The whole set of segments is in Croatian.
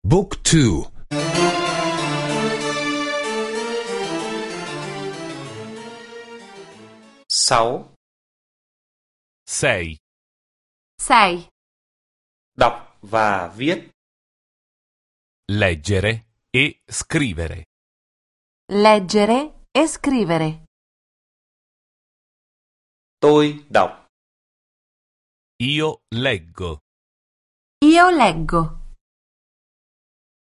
Book 2. 6. 6. 6. Đọc và viết. Leggere e scrivere. Leggere e scrivere. Tôi đọc. Io leggo. Io leggo.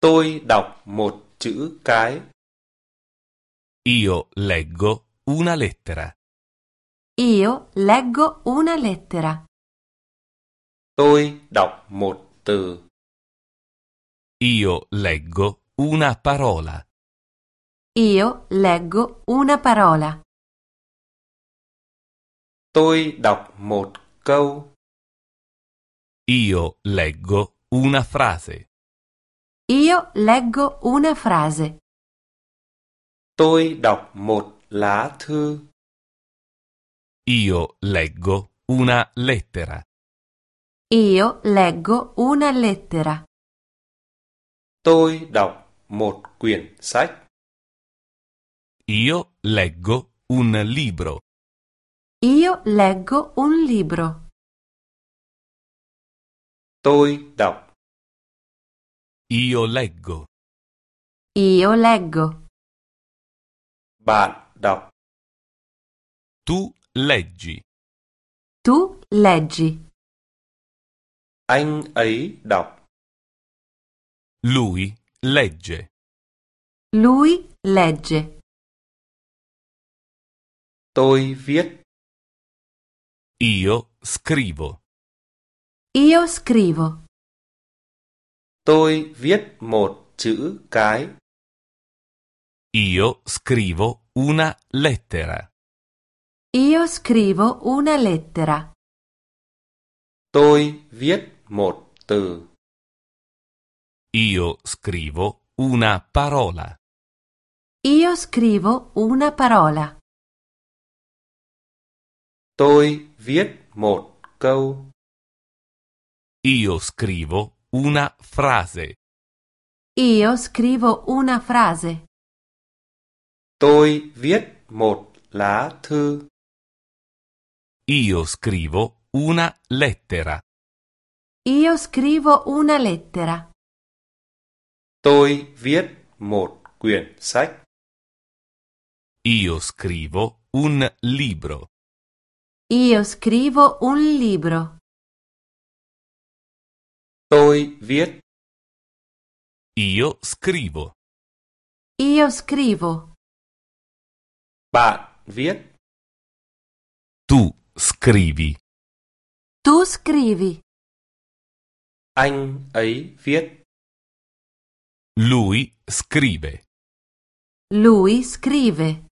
Tôi đọc một chữ cái. Io leggo una lettera. Io leggo una lettera. Tôi đọc một từ. Io leggo una parola. Io leggo una parola. Tôi đọc một câu. Io leggo una frase. Io leggo una frase. Tôi đọc một lá thư. Io leggo una lettera. Io leggo una lettera. Tôi đọc một quyển sách. Io leggo un libro. Io leggo un libro. Tôi đọc. Io leggo. Io leggo. Bạn đọc. Tu leggi. Tu leggi. Anh ấy đọc. Lui legge. Lui legge. Tôi viết. Io scrivo. Io scrivo. Tôi viết một chữ cái. Io scrivo una lettera. Io scrivo una lettera. Tôi viết một từ. Io scrivo una parola. Io scrivo una parola. Tôi viết một câu. Io scrivo una frase. Io scrivo una frase. Tôi viết một lá thư. Io scrivo una lettera. Io scrivo una lettera. Tôi viết một quyển sách. Io scrivo un libro. Io scrivo un libro. Tôi viết. Io scrivo. Io scrivo. Bạn viết. Tu scrivi. Tu scrivi. Anh ấy viết. Lui scrive. Lui scrive.